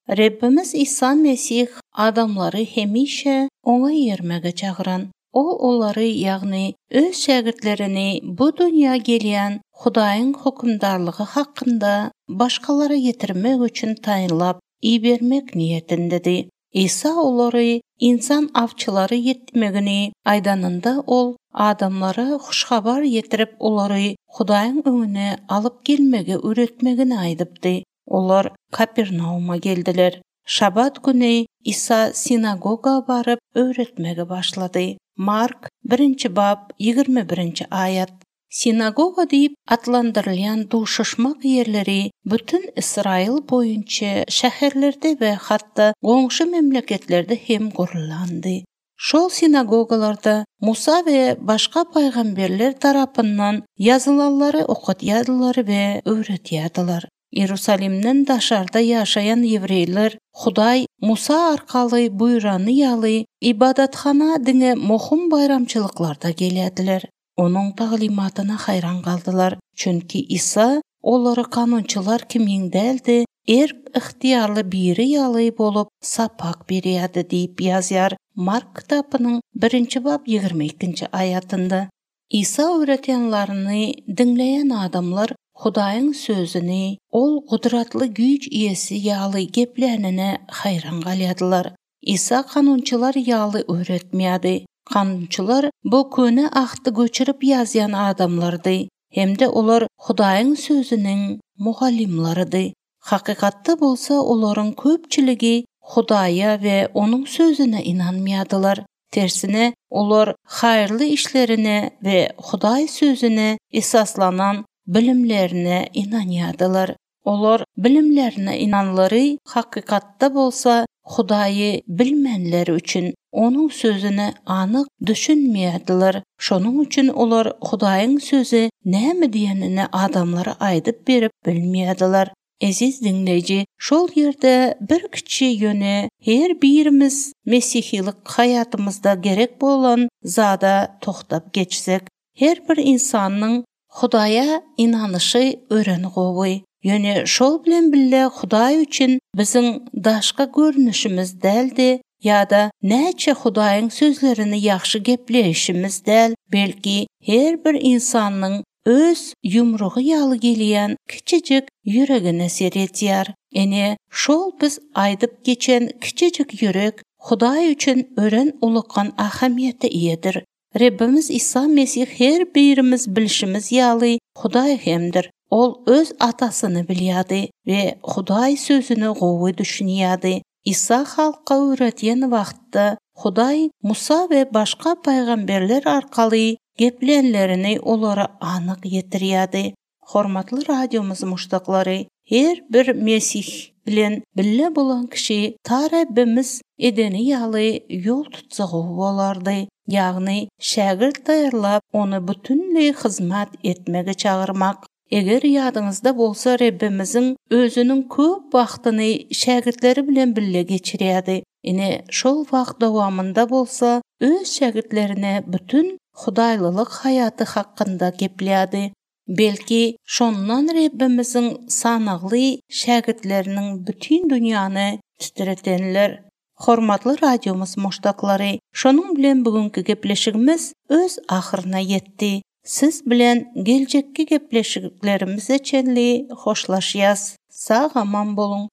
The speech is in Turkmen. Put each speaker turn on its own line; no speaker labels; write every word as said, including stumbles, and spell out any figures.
Rebbimiz Isa Mesih adamlary hemişe Oňa eýermäge çagyran. Ol olary, ýagny öz şägirtlerini bu dünýä gelýän Hudaýyň hökümdarlygy hakynda başgalara ýetirmek üçin taýynlap ibermek niýetindedi. Isa olary insan awçylary etmegini aýdanynda ol adamlara hoş habar ýetirip olary Hudaýyň öňüne alyp gelmegi öwretmegini aýdypdy. Olar Kapernauma geldiler. Şabat güni Isa sinagoga baryp öwretmegi başlady. Mark birinji bap ýigrimi birinji aýat. Sinagoga diýip atlandyrylýan duşuşmak ýerleri bütün Ysraýyl boýunça şäherlerde we hatda goňşy memleketlerde hem gurlandy. Şol sinagogalarda Musa we başga pygamberler tarapyndan ýazylanlary okatýardylar we öwretýärdiler. Iýerusalimden daşarda ýaşaýan ýewreýler Hudaý Musa arkaly buýrany ýaly ybadathana diňe möhüm baýramçylyklarda gelýärdiler. Onuň taglymatyna haýran galdylar, çünki Isa olary kanunçylar kimin däldi, erk-ygtyýarly biri ýaly bolup sapak berýärdi diýip ýazýar Mark kitabynyň birinji bap ýigrimi ikinji aýatynda. Isa öwretýänlerini diňleýän adamlar Hudaýyň sözüni ol gudratly güýç eýesi ýaly geplänine haýran galýardylar. Isa kanunçylar ýaly öwretmeýärdi. Kanunçylar bu köne ahdy göçürip ýazýan adamlardy hem-de olar Hudaýyň sözüniň mugallymlarydy. Hakykatda bolsa olaryň köpçüligi Hudaýa we onuň sözüne ynanmaýardylar. Tersine, olar haýyrly işlerine we Hudaý sözüne esaslanan bilimlerine ynanýardylar. Olar bilimlerine ynanlary hakykatda bolsa Hudaýy bilmänleri üçin onuň sözüne anyk düşünmeýärdiler. Şonuň üçin olar Hudaýyň sözi näme diýenini adamlara aýdyp berip bilmeýärdiler. Eziz diňleýji, şol ýerde bir kiçi ýöne her birimiz mesihilik haýatymyzda gerek bolan zada tohtap geçsek, her bir insanyň Hudaýa ynanyşy ören gowy. Ýöne şol bilen bile Hudaý üçin biziň daşky görnüşimiz däldi ýa-da näçe Hudaýyň sözlerini ýagşy gepleýşimiz däl, belki her bir insanyň öz ýumrugy ýaly gelýän kiçijik ýüregine seredýär. Ene şol biz aýdyp geçen kiçijik ýürek Hudaý üçin ören ulukan ähmiýete eýedir. Rebbimiz Isa Mesih her birimiz bilşimiz ýaly Hudaý hemdir. Ol öz atasyny bilýärdi we Hudaý sözüni gowy düşünýärdi. Isa halka öwretýän wagtda Hudaý Musa we başga pygamberler arkaly geplänlerini olara anyk ýetirýärdi. Hormatly radiomyz muşdaklary, her bir Mesih bilen bile bolan kişi ta Rebbimiz edeni ýaly ýol tutsa gowy bolardy. Ýagny şägirt taýýarlap, ony bütünleý hyzmat etmege çagyrmak. Eger ýadyňyzda bolsa Rebbimiziň özüniň köp wagtyny şägirtleri bilen bile geçirýärdi. Ine şol wagt dowamynda bolsa öz şägirtlerine bütün hudaýlylyk haýaty hakynda geplädi. Belki şondan Rebbimiziň sanagly şägirtleriniň bütün dünýäni titretenler. Hormatly radiomyz muşdaklary, şonuň bilen bugünkü gepleşigimiz öz ahyryna ýetdi. Siz bilen geljekki gepleşiklerimize çenli hoşlaşýas. Sag aman boluň.